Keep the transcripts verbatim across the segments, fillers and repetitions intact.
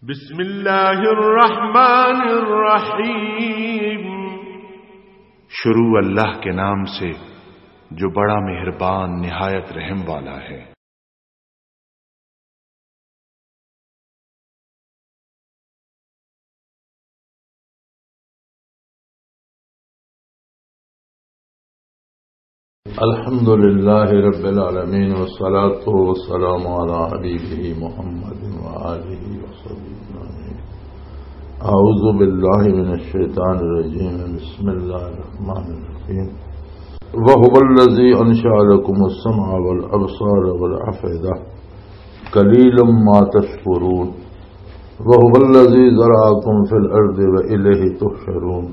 بسم اللہ الرحمن الرحیم۔ شروع اللہ کے نام سے جو بڑا مہربان نہایت رحم والا ہے۔ الحمد لله رب العالمين، والصلاة والسلام على حبيبه محمد وآله وصحبه أجمعين. أعوذ بالله من الشيطان الرجيم. بسم الله الرحمن الرحيم. وهو الذي أنشأ لكم السمع والأبصار والأفئدة قليلا ما تشكرون. وهو الذي ذرأكم في الأرض وإليه تحشرون.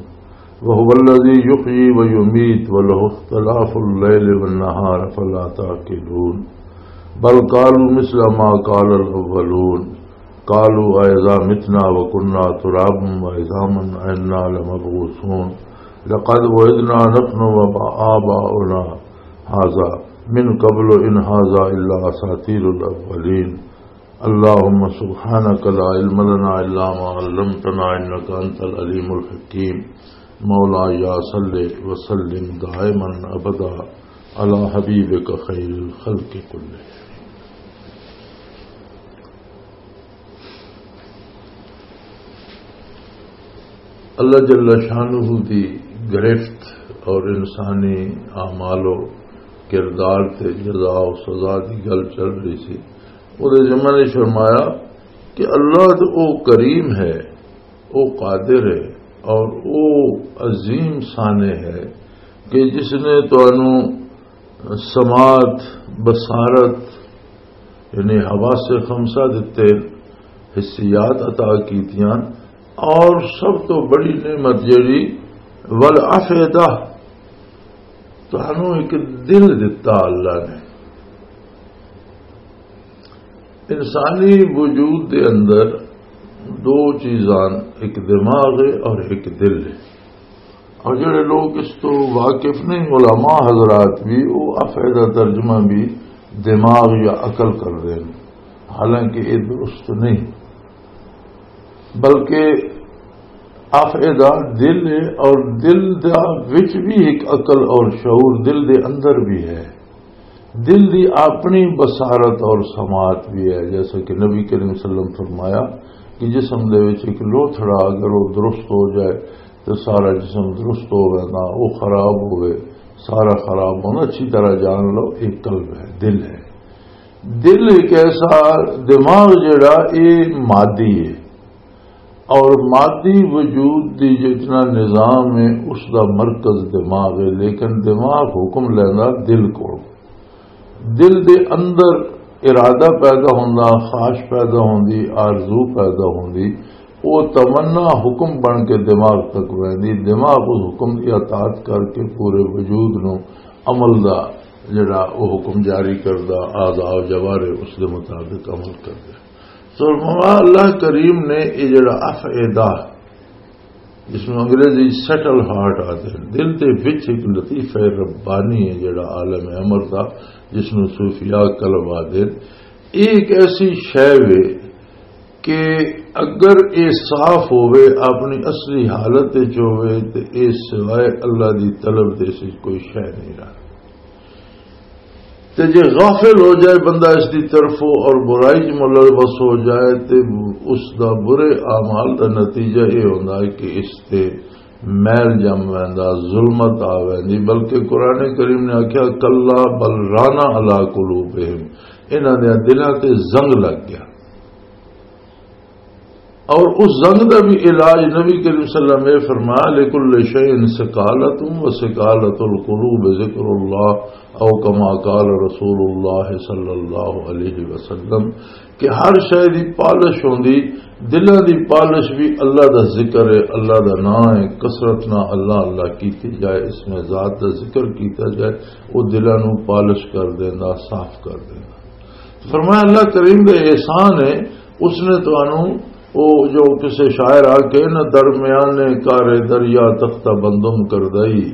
وهو الذي يحيي ويميت وله اختلاف الليل والنهار فلا تعقلون. بل قالوا مثل ما قال الأولون. قالوا أإذا متنا وكنا ترابا وعظاما أإنا لمبعوثون. لقد وعدنا نحن وآباؤنا هذا من قبل إن هذا إلا أساطير الأولين. اللهم سبحانك لا علم لنا إلا ما علمتنا إنك أنت العليم الحكيم. مولاي صل وسلم دائما أبدا على حبيبك خير الخلق كلهم. اللہ جل شانہ دی گرفت اور انسانی اعمال و کردار تے جزا و سزا دی گل چل رہی سی۔ اودے ضمن وچ فرمایا کہ اللہ تے او کریم ہے، او قادر ہے اور او عظیم صانع ہے کہ جس نے تانوں سماعت، بصارت، یعنی حواس خمسہ دتے حسیات عطا کیتیاں، اور سب تو بڑی نعمت جڑی والافئدہ، تانوں ایک دل دتا اللہ نے۔ انسانی وجود دے اندر دو چیزاں، ایک دماغ ہے اور ایک دل ہے۔ اور جڑے لوگ اس تو واقف نہیں، علماء حضرات بھی، وہ افعدہ ترجمہ بھی دماغ یا عقل کر رہے ہیں، حالانکہ یہ درست نہیں، بلکہ افعدہ دل ہے، اور دل دا وچ بھی ایک عقل اور شعور دل دے اندر بھی ہے۔ دل دی اپنی بصارت اور سماعت بھی ہے، جیسا کہ نبی کریم صلی اللہ علیہ وسلم فرمایا کہ جسم دے وچ ایک لوتھڑا اگر وہ درست ہو جائے تو سارا جسم درست ہو ویندا، وہ خراب ہوئے، سارا خراب ہونا۔ اچھی طرح جان لو، ایک قلب ہے، دل ہے۔ دل ایک ایسا، دماغ جڑا، یہ مادی ہے، اور مادی وجود دی جتنا نظام ہے، اس دا مرکز دماغ ہے، لیکن دماغ حکم لیندا دل کو۔ دل دے اندر ارادہ پیدا ہوندا، خواہش پیدا ہوندی، آرزو پیدا ہوندی، وہ تمنا حکم بن کے دماغ تک ویندی، دماغ اس حکم کی اطاعت کر کے پورے وجود نو عمل دا جڑا وہ حکم جاری کردا، اعضاء و جوارح اس دے مطابق عمل کردے۔ سو فرمایا، اللہ کریم نے یہ جڑا افعدہ، جس میں انگریزی سیٹل ہارٹ آتے ہیں، دل دے وچ ایک لطیفہ ربانی ہے جڑا عالم امر دا، جس نو صوفیاء قلب آتے ہیں۔ یہ ایک ایسی شے وے کہ اگر یہ صاف ہوئے، اپنی اصلی حالت وچ ہوئے، تے یہ سوائے اللہ دی طلب دے اس وچ کوئی شے نہیں رہا۔ تے جے غافل ہو جائے بندہ اس دی طرفوں اور برائی چ ملوث ہو جائے، تے اس دا برے اعمال دا نتیجہ یہ ہوندا ہے کہ اس تے میل جم ویندا، ظلمت آ ویندی۔ بلکہ قرآن کریم نے آکھیا، "کلا بل رانا علی قلوبہم"، انہاں دے دلاں تے زنگ لگ گیا۔ اور اس زنگ دا بھی علاج نبی کریم صلی اللہ علیہ وسلم نے فرمایا، "لکل شیء سکالۃ و سکالۃ القلوب ذکر اللہ"، او کما قال رسول اللہ صلی اللہ علیہ وسلم، کہ ہر شے دی پالش ہوندی، دلاں دی پالش بھی اللہ دا ذکر ہے، اللہ دا نام ہے، کثرت نہ اللہ اللہ کیتی جائے، اس میں ذات دا ذکر کیتا جائے، وہ دلاں نو پالش کر دیندا، صاف کر دیندا۔ فرمایا، اللہ کریم دا احسان ہے، اس نے تانوں، او جو کسے شاعر آ کے نہ، درمیان کار دریا تختہ بندم کر دئی،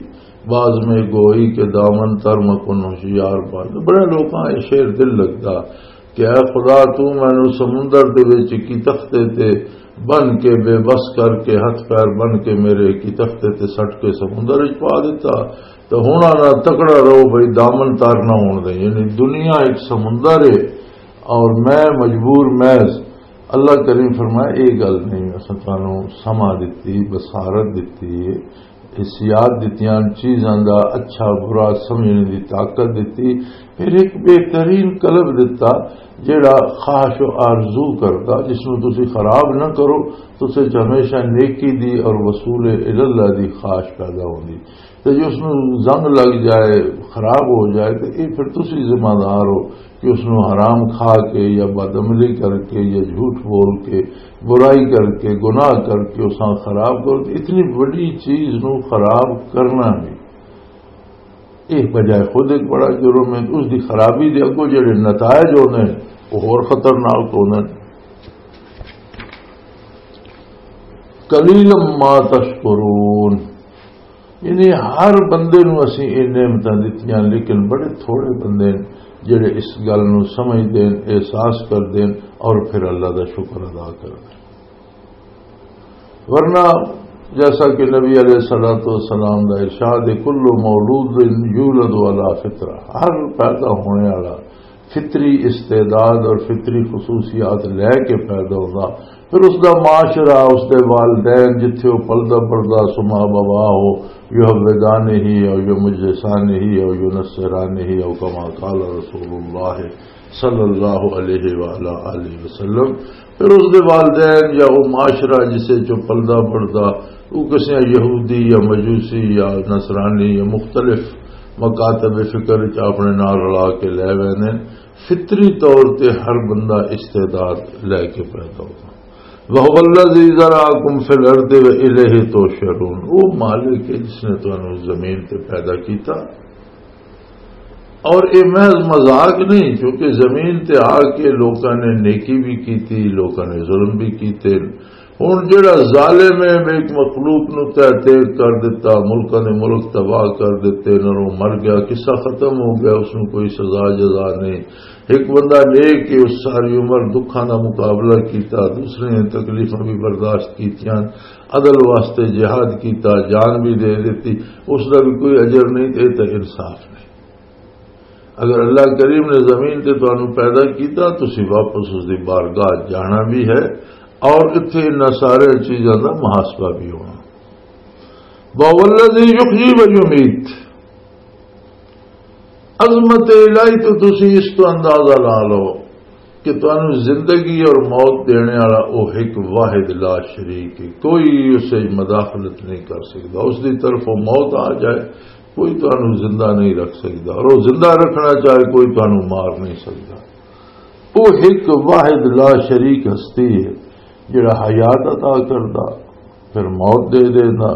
باز میں گوئی کے دامن تر مکن ہوشیار پا۔ بڑے لوکاں یہ شعر دل لگدا۔ کہ اے خدا، تو مینوں سمندر دے وچ کی تختے تے بن کے، بے بس کر کے، ہتھ پیر بن کے میرے کی تختے تے سٹ کے سمندر وچ پا دتا، تو ہن آنا تکڑا رہو بھئی، دامن تار نہ ہون دے۔ یعنی دنیا ایک سمندر ہے اور میں مجبور محض۔ اللہ کریم فرمایا، یہ گل نہیں، اساں تانوں سمجھ دتی، بصارت دتی ہے، حسیات دتیاں، چیزاں دا اچھا برا سمجھنے دی طاقت دتی، پھر ایک بہترین قلب دتا، جیڑا خواہش و آرزو کردا، جس نوں تسی خراب نہ کرو، تسے چ ہمیشہ نیکی دی اور وصول الاللہ دی خواہش پیدا ہوندی۔ تے جے اس نوں زنگ لگ جائے، خراب ہو جائے، تے اے پھر تسی ذمہ دار ہو کہ اس نوں حرام کھا کے یا بدعملی کر کے یا جھوٹ بول کے، برائی کر کے، گناہ کر کے اساں خراب کرو۔ تے اتنی بڑی چیز نوں خراب کرنا بھی، اے بجائے خود ایک بڑا جرم ہے۔ اس دی خرابی دے اگوں جڑے نتائج ہوندے نے، وہ ہور خطرناک ہوندے نے۔ قلیلا ما تشکرون، یعنی ہر بندے نوں اسی یہ نعمتاں دتیاں، لیکن بڑے تھوڑے بندے نے جڑے اس گل نوں سمجھ دین، احساس کر دین اور پھر اللہ دا شکر ادا کر دین۔ ورنہ جیسا کہ نبی علیہ الصلوۃ والسلام دا ارشاد ہے، "کل مولود یولد علی فطرہ"، ہر پیدا ہونے والا فطری استعداد اور فطری خصوصیات لے کے پیدا ہوتا، پھر اس دا معاشرہ، اس دے والدین، جتھے وہ پلدا بڑھدا، سما بوا ہو، یو حویدان ہی او یو مجلسان ہی او یو نصران ہی او کما قال رسول اللہ صلی اللہ علیہ وآلہ آلہ وسلم۔ پھر اس دے والدین یا وہ معاشرہ جسے چو پلدا بڑھدا، وہ کسے یہودی یا مجوسی یا نصرانی یا مختلف مکاتب فکر چ اپنے نال رلا کے لے ویندے، فطری طور تے ہر بندہ استعداد لے کے پیدا ہوتا۔ وَهُوَ الَّذِي ذَرَأَكُمْ فِي الْأَرْضِ وَإِلَيْهِ تُحْشَرُونَ، وہ مالک ہے جس نے تانوں زمین تے پیدا کیتا۔ اور یہ محض مذاق نہیں، کیونکہ زمین تے آ کے لوکاں نے نیکی بھی کیتی، لوکاں نے ظلم بھی کیتے۔ ہن جڑا ظالم ہے، ایک مخلوق نو تحت کر دیتا، ملکاں دے ملک تباہ کر دیتے، نہ وہ مر گیا، قصہ ختم ہو گیا، اس نو کوئی سزا جزا نہیں۔ ایک بندہ نیک کہ اس ساری عمر دکھاں دا مقابلہ کیتا، دوسرے نے تکلیفاں بھی برداشت کیتیاں، عدل واسطے جہاد کیتا، جان بھی دے دیتی، اس دا بھی کوئی اجر نہیں، تے تے انصاف نہیں۔ اگر اللہ کریم نے زمین تے تانوں پیدا کیتا، تسی واپس اس دی بارگاہ جانا بھی ہے، اور اتھے انہاں سارے چیزاں دا محاسبہ بھی ہونا۔ وَهُوَ الَّذِي يُحْيِي وَيُمِيتُ، عظمت الہی تو تسی اس تو اندازہ لا لو کہ تانوں زندگی اور موت دینے والا او ایک واحد لا شریک ہے، کوئی اسے مداخلت نہیں کر سکتا۔ اس دی طرف وہ موت آ جائے، کوئی تانوں زندہ نہیں رکھ سکتا، اور وہ زندہ رکھنا چاہے، کوئی تانوں مار نہیں سکتا۔ وہ ایک واحد لا شریک ہستی ہے، جڑا حیات عطا کردا، پھر موت دے دینا۔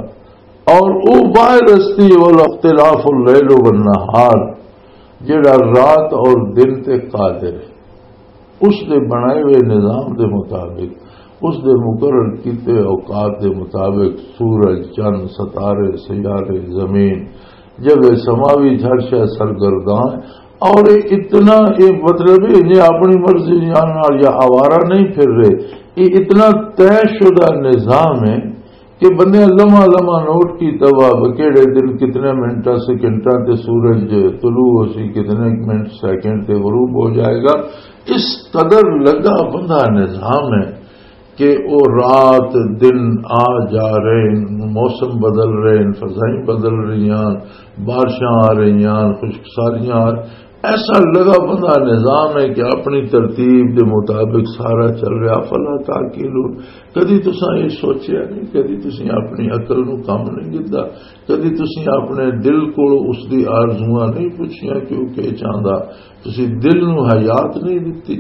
اور وہ واحد ہستی ہے، والا اختلاف اللیل والنہار، جڑا رات اور دن تے قادر ہے۔ اس دے بنائے ہوئے نظام دے مطابق، اس دے مقرر کیتے اوقات دے مطابق سورج، چند، ستارے، سیارے، زمین، جب یہ سماوی ہر شے سرگرداں، اور یہ اتنا، یہ مطلب ہے، یہ اپنی مرضی نال یا آوارہ نہیں پھر رہے، یہ اتنا طے شدہ نظام ہے کہ بندے لمحہ لمحہ نوٹ کیتا وا، کہڑے دن کتنے منٹاں سیکنڈاں تے سورج طلوع ہو سی، کتنے منٹ سیکنڈ تے غروب ہو جائے گا۔ اس قدر لگا بندہ نظام ہے کہ وہ رات دن آ جا رہے ہیں، موسم بدل رہے ہیں، فضائیں بدل رہی ہیں، بارشاں آ رہی ہیں، خشک سالیاں آ، ایسا لگا بندہ نظام ہے کہ اپنی ترتیب دے مطابق سارا چل رہا۔ فلا تعقلون، کدی تساں یہ سوچیا نہیں، کدی تساں اپنی عقل نو کم نہیں دتا، کدی تساں اپنے دل کو اس دی آرزواں نہیں پوچھیاں کہ وہ کیا چاہندا، تساں دل نو حیات نہیں دتی۔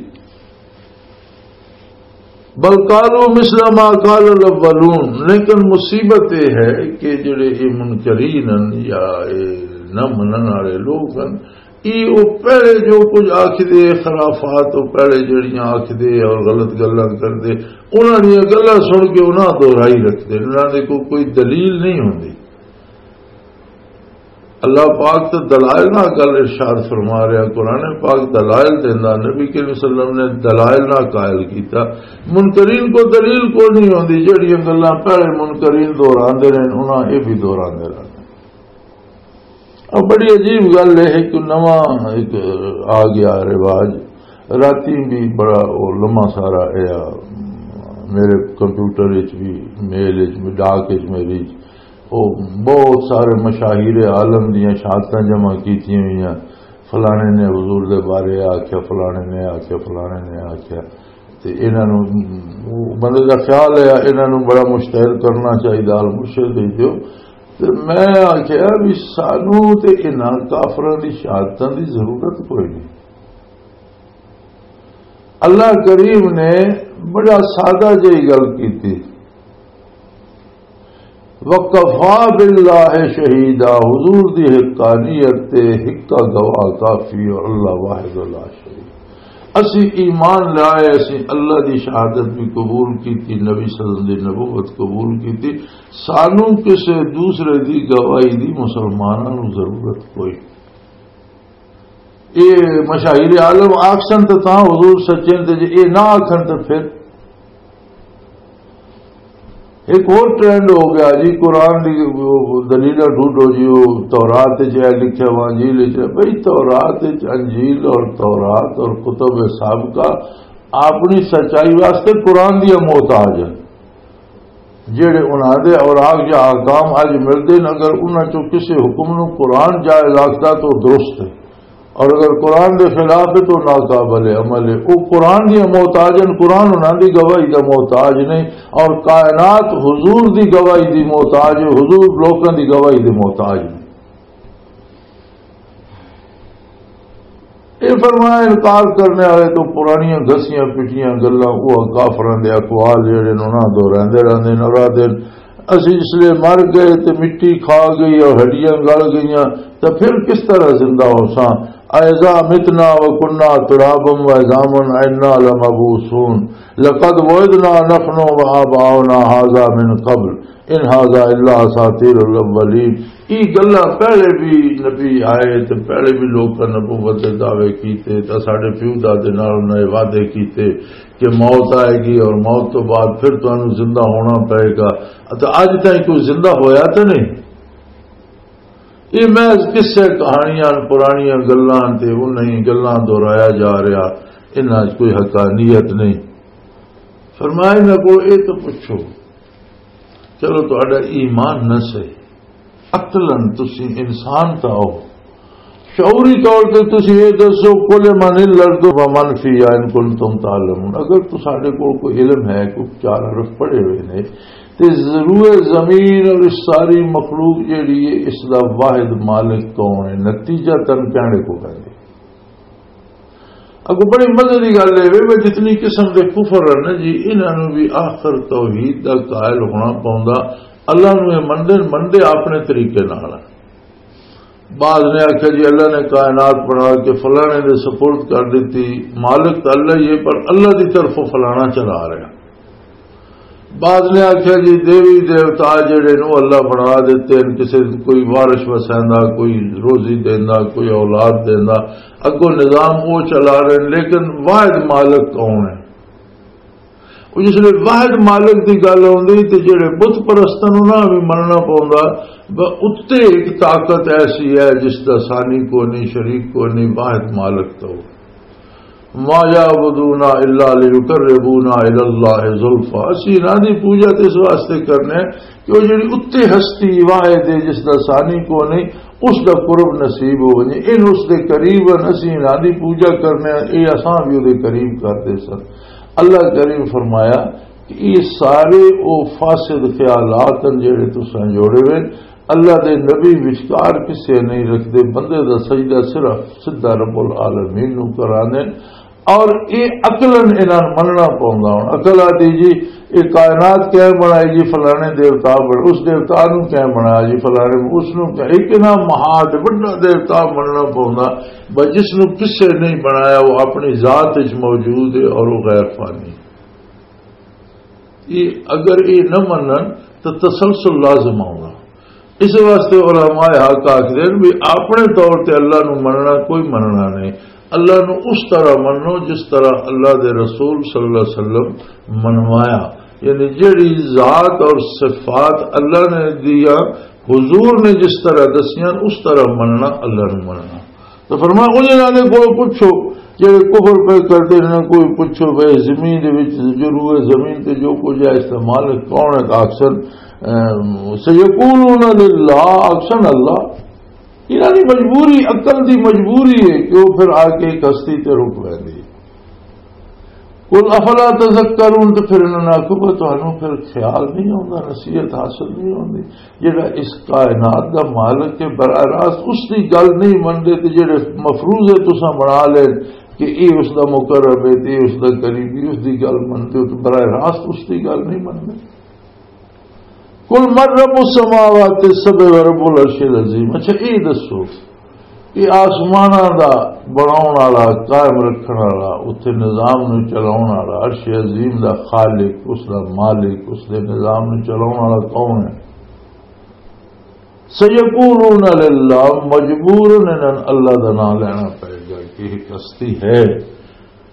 بل قالوا مثل ما قال الاولون، لیکن مصیبت یہ ہے کہ جڑے یہ منکرین ہیں یا یہ نہ منن والے لوگ ہیں، یہ وہ پہلے جو کچھ آکھدے، خرافات، وہ پہلے جڑیاں آکھدے اور غلط گلاں کردے، انہاں دیاں گلاں سن کے انہاں دہرائی رکھدے، انہاں دے کو کوئی دلیل نہیں ہوندی۔ اللہ پاک تے دلائل نال گل ارشاد فرما رہا، قرآن پاک دلائل دیندا، نبی کریم صلی اللہ علیہ وسلم نے دلائل نال قائل کیتا۔ منکرین کو دلیل کوئی نہیں ہوندی، جہڑیاں گلاں پہلے منکرین دہراندے رہن، انہاں یہ بھی دہراندے رہن۔ اب بڑی عجیب گل ہے کہ نواں ایک آ گیا رواج، راتی بھی بڑا وہ لمبا سارا اے آ، میرے کمپیوٹر وچ بھی، میل وچ بھی، ڈاک وچ میری، وہ بہت سارے مشاہیر عالم دیاں شہادتاں جمع کیتیاں ہوئیاں، فلانے نے حضور دے بارے آکھیا، فلانے نے آکھیا، فلانے نے آکھیا۔ تے انہاں نوں، بندے دا خیال ہے، انہاں نوں بڑا مشتہر کرنا چاہیے، المرشد دے دیو۔ تے میں آکھیا بھی سانوں تے انہاں کافراں دی شہادتاں دی ضرورت کوئی نہیں۔ اللہ کریم نے بڑا سادہ جہی گل کیتی، "وکفا باللہ شہیدا"، حضور دی حقانیت تے حقہ گواہ کافی اور اللہ واحد لا شریک۔ اسی ایمان لائے، اسی اللہ دی شہادت بھی قبول کیتی، نبی صلی اللہ علیہ وسلم دی نبوت قبول کیتی، سانوں کسے دوسرے دی گواہی دی مسلماناں نوں ضرورت کوئی۔ اے مشاہیر عالم آکھن تے تاں حضور سچے تے جے اے نہ آکھن تے پھر ایک اور ٹرینڈ ہو گیا جی، قرآن دی دلیلاں ڈھونڈو جی، وہ تورات وچ اے لکھیا وا، انجیل وچ اے۔ بھئی تورات وچ، انجیل اور تورات اور کتب سابقہ اپنی سچائی واسطے قرآن دی محتاج ہے۔ جہڑے انہاں دے اوراق یا احکام اج ملدے نے، اگر انہاں چوں کسے حکم نوں قرآن جائز آکھدا تو درست ہے، اور اگر قرآن دے خلاف ہے تو ناقابل عمل ہے۔ وہ قرآن دی محتاج ہیں، قرآن انہاں دی گواہی دا محتاج نہیں، اور کائنات حضور دی گواہی دی محتاج ہے، حضور لوکاں دی گواہی دی محتاج نہیں۔ یہ فرمایا، انکار کرنے والے تو پرانیاں گھسیاں پٹیاں گلاں، وہ کافراں دے اقوال جڑے نے، انہاں دہراندے رہندے نے، اور آہدے نے، "اسی اس لیے مر گئے تے مٹی کھا گئی اور ہڈیاں گل گئیاں، تے پھر کس طرح زندہ ہو ساں؟ اَإِذَا مِتْنَا وَكُنَّا تُرَابًا وَعِظَامًا أَإِنَّا لَمَبْعُوثُونَ لَقَدْ وُعِدْنَا نَحْنُ وَآبَاؤُنَا هَذَا مِنْ قَبْلُ إِنْ هَذَا إِلَّا أَسَاطِيرُ الْأَوَّلِينَ۔" یہ گلاں پہلے بھی نبی آئے تے پہلے بھی لوکاں نبوت دے دعوے کیتے تے ساڈے پیو دادے نال انہاں نے وعدے کیتے کہ موت آئے گی اور موت تو بعد پھر تانوں زندہ ہونا پئے گا۔ تے اج تائیں کوئی زندہ ہویا تے نہیں۔ یہ محض قصے، کہانیاں، پرانیاں گلاں تے انہی گلاں دہرایا جا رہا، انہاں 'چ کوئی حقانیت نہیں۔ فرمایا، میں کو یہ تو پوچھو، چلو تہاڈا ایمان نہ صحیح، عقلاً تسی انسان تاں ہو، شعوری طور تے تسی یہ دسو، "قل من الارض ومن فیہا ان کنتم تعلمون"، اگر تساڈے کول کوئی علم ہے، کوئی چار حرف پڑھے ہوئے نے، تے روئے زمین اور اس ساری مخلوق جیڑی ہے، اس دا واحد مالک کون ہے؟ نتیجہ تن کہنے کو پہلے۔ اگو بڑی مزے دی گل ہے وے، وے جتنی قسم دے کفر ہے نا جی، انہاں نوں بھی آخر توحید دا قائل ہونا پوندا۔ اللہ نوں یہ مندے، مندے اپنے طریقے نال۔ بعض نے آکھیا جی اللہ نے کائنات بنا کے فلانے دے سپرد کر دیتی، مالک تو اللہ ہی ہے، پر اللہ دی طرفوں فلانا چلا رہا۔ بعض نے آکھیا جی دیوی دیوتا جڑے نو اللہ بنا دیتے ہیں، کسی کوئی وارش وسیندا، کوئی روزی دیندا، کوئی اولاد دیندا، اگوں نظام وہ چلا رہے ہیں، لیکن واحد مالک کون ہے؟ وہ جس لئے واحد مالک دی گل آندی تے جڑے بت پرستاں نوں نہ بھی مننا پوندا، ب-، اُتے ایک طاقت ایسی ہے جس دا ثانی کو نہیں، شریک کو نہیں، واحد مالک تو۔ "ما یعبدون الا لیقربونا الی اللہ زلفا"، اسی انہاں دی پوجا تے اس واسطے کرنے کہ وہ جڑی اُتے ہستی واحد ہے جس دا ثانی کو نہیں، اس دا قرب نصیب ہو ونجے، ان اس دے قریب ہن، اسی انہاں دی پوجا کرنے، اے اساں بھی اودے قریب کردے سن۔ اللہ کریم فرمایا کہ یہ سارے او فاسد خیالات ہیں جڑے تساں جوڑے ہوئے، اللہ دے نبی وچکار کسے نہیں رکھدے، بندے دا سجدہ صرف سدھا رب العالمین نو کرانے۔ اور یہ عقلاً انہاں نوں مننا پوندا۔ ہن عقل آدھی جی، یہ کائنات کیوں بنائی جی؟ فلانے دیوتا بن-، اس دیوتا نوں کیوں بنایا جی؟ فلانے اس نوں کیوں؟ ایک انہاں مہا تے وڈا دیوتا مننا پوندا، بس جس نوں کسے نہیں بنایا، وہ اپنی ذات وچ موجود ہے اور وہ غیر فانی۔ یہ اگر یہ نہ منن تو تسلسل لازم آؤنا۔ اس واسطے علماء حق آخدے نے بھی اپنے طور تے اللہ نو مننا کوئی مننا نہیں۔ اللہ نو اس طرح منو جس طرح اللہ دے رسول صلی اللہ علیہ وسلم منوایا، یعنی جڑی ذات اور صفات اللہ نے دیا، حضور نے جس طرح دسیاں، اس طرح مننا، اللہ نو مننا۔ تو فرمایا، انہاں دے کول پچھو، جڑے کفر پہ کردے نے، کوئی پچھو بھائی زمین دے وچ، جو روئے زمین تے جو کچھ ہے، اس دا مالک کون ہے؟ تو آکھسن، ام، سیقولون للہ، آکھسن اللہ۔ انہاں دی مجبوری، عقل دی مجبوری ہے کہ وہ پھر آ کے ایک ہستی تے رک ویندی ہے۔ قل افلا تذکرون، تے پھر انہاں نے آکھو کہ تانوں پھر خیال نہیں آوندا، نصیحت حاصل نہیں ہوندی؟ جڑا اس کائنات دا مالک ہے، براہ راست اس دی گل نہیں مندے، تے جڑے مفروضے تساں بنا لے کہ اے اس دا مقرب ہے تے اے اس دا قریبی، اس دی گل مندے ہو، تے براہ راست اس دی گل نہیں مندے۔ قل من رب السماوات السبع ورب العرش العظیم۔ اچھا، اے دسو کہ آسماناں دا بناون والا، قائم رکھن والا، اتھے نظام نوں چلاون والا، عرش عظیم دا خالق، اس دا مالک، اس دے نظام نوں چلاون والا کون ہے؟ سیقولون للہ، مجبور انہاں اللہ دا نام لینا پئے گا کہ ایک ہستی ہے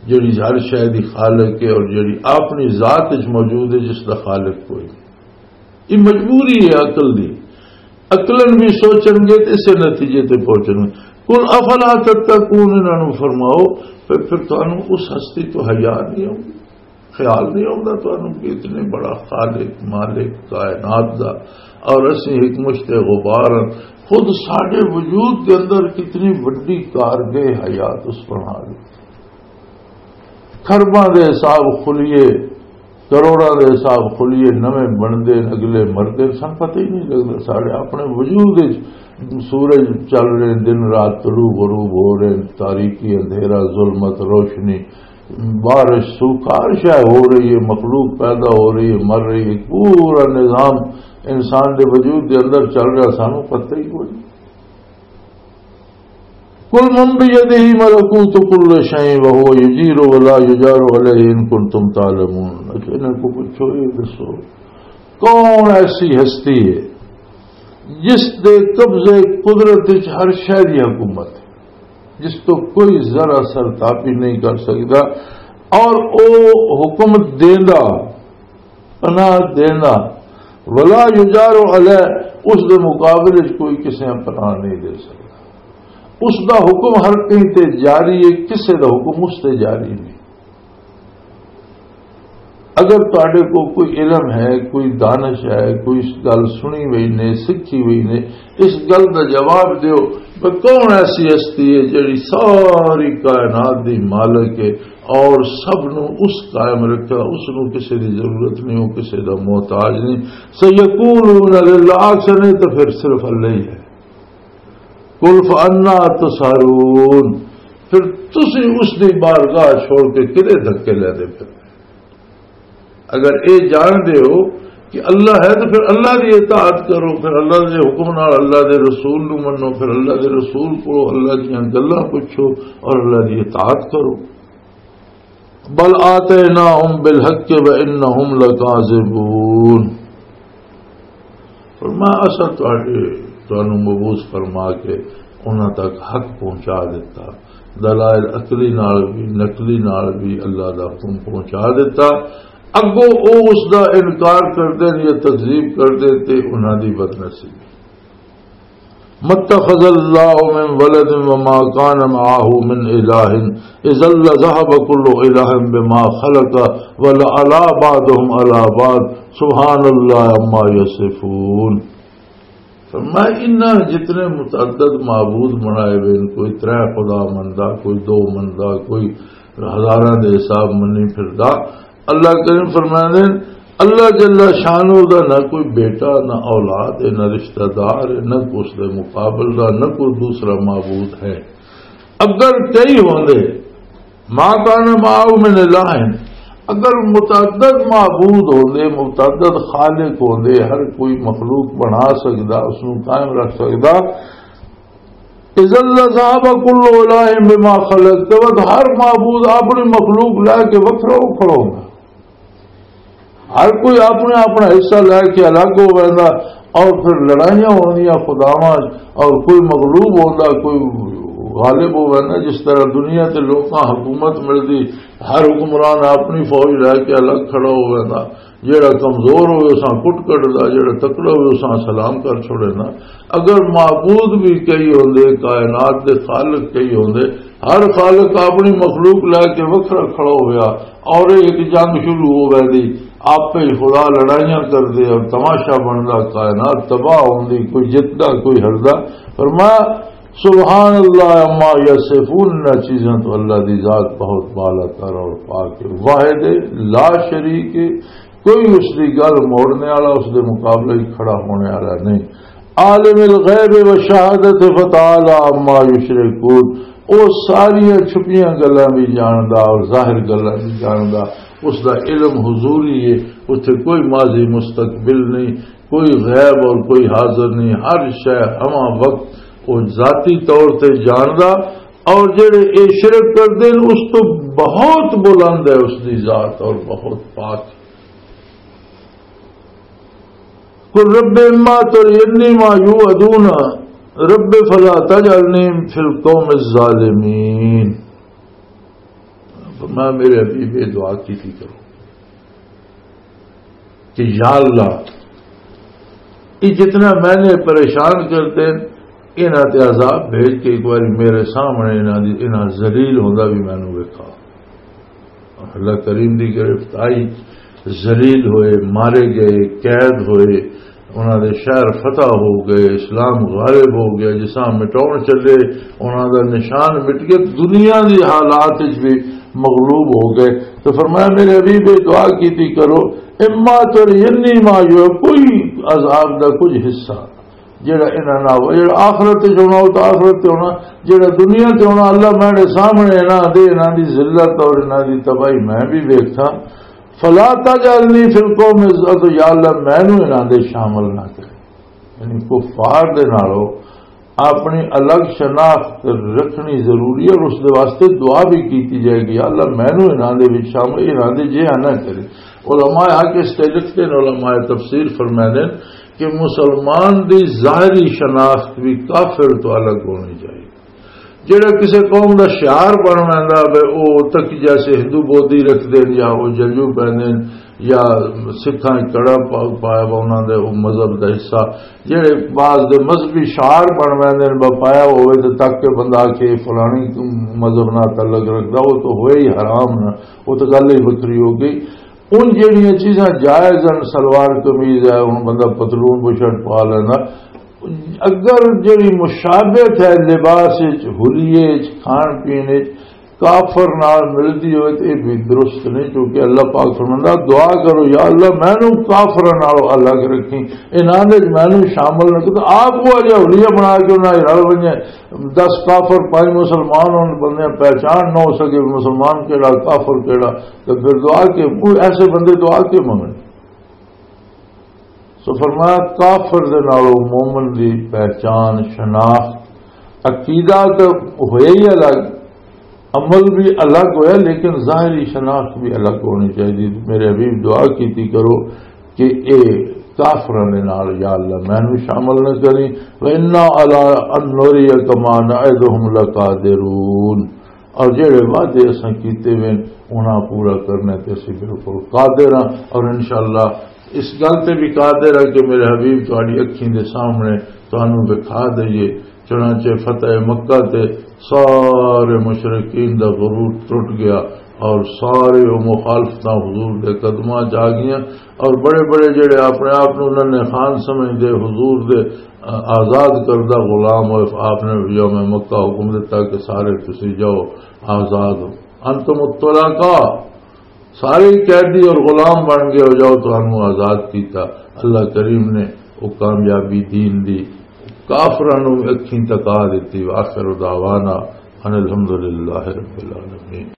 جڑی ہر شے دی خالق ہے اور جڑی اپنی ذات وچ موجود ہے، جس دا خالق کوئی نہیں۔ یہ مجبوری ہے عقل دی۔ عقلاً بھی سوچن گے تے اسے نتیجے تے پہنچن گے۔ قل افلا تتقون، انہاں نوں فرماؤ، پھر، پھر تانوں اس ہستی تو حیا نہیں آؤں؟ خیال نہیں آؤندا تانوں کہ اتنے بڑا خالق، مالک کائنات دا، اور اسی ایک مشت غبار ہاں۔ خود ساڈے وجود دے اندر کتنی وڈی کارگاہ حیات اس بنا دی۔ کھرباں دے حساب کھلیے، کروڑاں دے حساب کھلیے، نویں بندے، اگلے مردے، سن پتہ ہی نہیں لگدا۔ ساڈے اپنے وجود وچ سورج چل رہے، دن رات، طلوع غروب ہو رہے، تاریکی، اندھیرا، ظلمت، روشنی، بارش، سوکھا، ہر شے ہو رہی ہے، مخلوق پیدا ہو رہی ہے، مر رہی ہے، پورا نظام انسان دے وجود دے اندر چل رہا، سانو پتہ ہی کوئی نہیں۔ قل من بيده ملكوت كل شيء وهو يجير ولا يجار عليه إن كنتم تعلمون۔ اچھا، انہاں کو پوچھو، یہ دسو، کون ایسی ہستی ہے جس دے قبضے قدرت وچ ہر شے دی حکومت ہے، جس تو کوئی ذرا سر تاپی نہیں کر سکدا، اور او حکم دیندا، پناہ دیندا، ولا یجار علیہ، اس دے مقابلے وچ کوئی کسے پناہ نہیں دے سکدا۔ اس دا حکم ہر کہیں تے جاری ہے، کسے دا حکم اس تے جاری نہیں۔ اگر تہاڈے کو کوئی علم ہے، کوئی دانش ہے، کوئی اس گل سنی ہوئی نے، سکھی ہوئی نے، اس گل دا جواب دیو کہ کون ایسی ہستی ہے جڑی ساری کائنات دی مالک ہے اور سب نو اس قائم رکھا، اس نو کسے دی ضرورت نہیں، وہ کسے دا محتاج نہیں۔ سیقولون للہ، آکھن تو پھر صرف اللہ ہی ہے۔ قل فانا تسحرون، پھر تسی اس دی بارگاہ چھوڑ کے کدے دھکے لے دے پھر؟ اگر اے جان دے ہو کہ اللہ ہے تو پھر اللہ دی اطاعت کرو، پھر اللہ دے حکم نال اللہ دے رسول نو منو، پھر اللہ دے رسول کو اللہ دیاں گلاں پوچھو اور اللہ دی اطاعت کرو۔ بل آتیناہم بالحق وانہم لکاذبون۔ فرمایا، اساں تہاڈے، تانوں مبعوث فرما کے انہاں تک حق پہنچا دیتا، دلائل عقلی نال بھی، نقلی نال بھی اللہ دا حکم پہنچا دیتا۔ اگوں او اس دا انکار کردے نے یا تکذیب کردے تے انہاں دی بدنصیبی۔ ما اتخذ الله من ولد وما كان معه من إله إذا لذهب كل إله بما خلق ولعلا بعضهم على بعض سبحان الله عما يصفون۔ فرمایا، انہاں جتنے متعدد معبود بنائے ہوئے ہیں، کوئی ترے خدا مندا، کوئی دو مندا، کوئی ہزاراں دے حساب منی پھردا، اللہ کریم فرماندے ہیں، اللہ جل شانہ دا نہ کوئی بیٹا، نہ اولاد ہے، نہ رشتہ دار ہے، نہ اس دے مقابل دا، نہ کوئی دوسرا معبود ہے۔ اگر کئی ہوندے، ما کان معه من الہ، اگر متعدد معبود ہوندے، متعدد خالق ہوندے، ہر کوئی مخلوق بنا سکدا، اس نوں قائم رکھ سکدا، اذا لذهب كل الہ بما خلق، تو ہر معبود اپنی مخلوق لے کے وکھرا کھڑا ہوندا۔ ہر کوئی اپنا اپنا حصہ لے کے الگ ہو ویندا، اور پھر لڑائیاں ہوندیاں خداواں، اور کوئی مغلوب ہوندا، کوئی غالب ہووے نا۔ جس طرح دنیا تے لوکاں حکومت ملدی، ہر حکمران اپنی فوج لے کے الگ کھڑا ہووے نا، جیڑا کمزور ہوئے اساں کٹ کٹدا، جیڑا تکڑا ہوئے اساں سلام کر چھوڑے نا۔ اگر معبود بھی کئی ہوندے، کائنات دے خالق کئی ہوندے، ہر خالق اپنی مخلوق لے کے وکھرا کھڑا ہویا، اور ایک جنگ شروع ہو گئی دی، آپ ہی خدا لڑائیاں کر دے اور تماشا بندا، کائنات تباہ ہوندی، کوئی جتدا، کوئی ہردا۔ فرمایا، سبحان اللہ عما یصفون، انہاں چیزاں تو اللہ دی ذات بہت بالا تر اور پاک ہے، واحد ہے، لا شریک ہے، کوئی اس دی گل موڑنے والا، اس دے مقابلے وچ کھڑا ہونے والا نہیں۔ عالم الغیب و شہادت فتعالی عما یشرکون، او ساریاں چھپیاں گلاں بھی جاندا اور ظاہر گلاں بھی جاندا۔ اس دا علم حضوری ہے، اتھے کوئی ماضی مستقبل نہیں، کوئی غیب اور کوئی حاضر نہیں، ہر شے ہما وقت وہ ذاتی طور تے جاندا۔ اور جڑے اے شرک کردے نے، اس تو بہت بلند ہے اس دی ذات اور بہت پاک۔ قل رب اما ترینی ما یوعدون رب فلا تجعلنی فی القوم الظالمین۔ فرمایا، میرے حبیب، یہ دعا کی تھی کرو کہ یا اللہ، یہ جتنا میں نے پریشان کرتے ہیں، انہاں تے عذاب بھیج کے ایک بار میرے سامنے انہاں دی، انہاں ذلیل ہوندا بھی مینوں ویکھا۔ اللہ کریم دی گرفت آئی، ذلیل ہوئے، مارے گئے، قید ہوئے، انہاں دے شہر فتح ہو گئے، اسلام غالب ہو گیا، جساں مٹاؤن چلے، انہاں دا نشان مٹ گیا، دنیا دی حالات وچ بھی مغلوب ہو گئے۔ تو فرمایا، میرے حبیب، یہ دعا کیتی کرو، اما ترینی ما یوعدون، کوئی عذاب دا کچھ حصہ جڑا انہاں نہ ہو، جڑا آخرت وچ ہونا، وہ تو آخرت تے ہونا، جڑا دنیا تے ہونا، اللہ میرے سامنے انہاں دے، انہاں دی ذلت اور انہاں دی تباہی میں بھی ویکھاں۔ فلا تجعلنی فی القوم الظ-، تو یا اللہ، مینوں انہاں دے شامل نہ کرے۔ یعنی کفار دے نالوں اپنی الگ شناخت رکھنی ضروری ہے، اور اس دے واسطے دعا بھی کیتی جائے گی، "یا اللہ، مینوں انہاں دے وچ شامل، انہاں دے جہا نہ کرے۔" علماء حق اس تے لکھتے ہیں، علماء تفسیر فرماتے ہیں کہ مسلمان دی ظاہری شناخت بھی کافر تو الگ ہونی چاہیے۔ جڑا کسے قوم دا شعار بن ویندا وے، او تقیہ سے ہندو بودھی رکھ دین یا او جلو پہن دین یا سکھاں وچ کڑا پا-، پایا وا انہاں دے او مذہب دا حصہ۔ جڑے بعض دے مذہبی شعار بن ویندے نے، با پایا ہوئے تے تاکہ بندہ آکھے فلانی مذہب نال تعلق رکھدا، او تو ہوئے ہی حرام نا، او تو گل ہی وکھری ہو گئی۔ ان جڑیاں چیزاں جائز ہیں، سلوار قمیض ہے، ہن بندہ پتلون بشرٹ پا لینا، اگر جڑی مشابہت ہے لباس وچ، حلیے وچ، کھان پین وچ، کافر نال ملدی ہوئے تے یہ بھی درست نہیں، کیونکہ اللہ پاک فرماندا، "دعا کرو، یا اللہ، مینوں کافراں نالوں الگ رکھیں، انہاں دے وچ مینوں شامل نہ کر۔" آپ کو اجے حلیہ بنا کے انہاں نال رل ونجے، دس کافر، پانچ مسلمان، ان بندے پہچان نہ ہو سکے مسلمان کیڑا، کافر کیڑا، تو پھر دعا کے، کوئی ایسے بندے دعا کے منگن؟ سو فرمایا، کافر دے نالوں مومن دی پہچان، شناخت، عقیدہ تو ہویا ہی الگ، عمل بھی الگ ہویا، لیکن ظاہری شناخت بھی الگ ہونی چاہیے۔ میرے حبیب، دعا کیتی کرو کہ اے کافراں دے نال، یا اللہ، مینوں شامل نہ کریں۔ وَإِنَّا عَلَىٰ أَن نُّرِيَكَ مَا نَعِدُهُمْ لَقَادِرُونَ۔ اور جڑے وعدے اساں کیتے وے، انہاں پورا کرنے تے اسی بالکل قادر ہاں، اور انشاءاللہ اس گل تے بھی قادر ہاں کہ میرے حبیب تہاڈی اکھیں دے سامنے تانوں دکھا دئیے۔ چنانچہ فتح مکہ تے سارے مشرکین دا غرور ٹوٹ گیا اور سارے او مخالفتاں حضور دے قدماں چ آ گئیاں، اور بڑے بڑے جڑے اپنے آپ نوں ننھے خان سمجھدے، حضور دے آزاد کردہ غلام ہوئے۔ آپ نے یوم مکہ حکم دیتا کہ سارے تسی جاؤ، آزاد ہو، انتم الطلقاء، سارے ہی قیدی اور غلام بن گئے ہو، جاؤ، تانوں آزاد کیتا۔ اللہ کریم نے وہ کامیابی دین دی کافراں نوں اکھیں تکا دتی۔ وآخر دعوانا ان الحمدللہ رب العالمین۔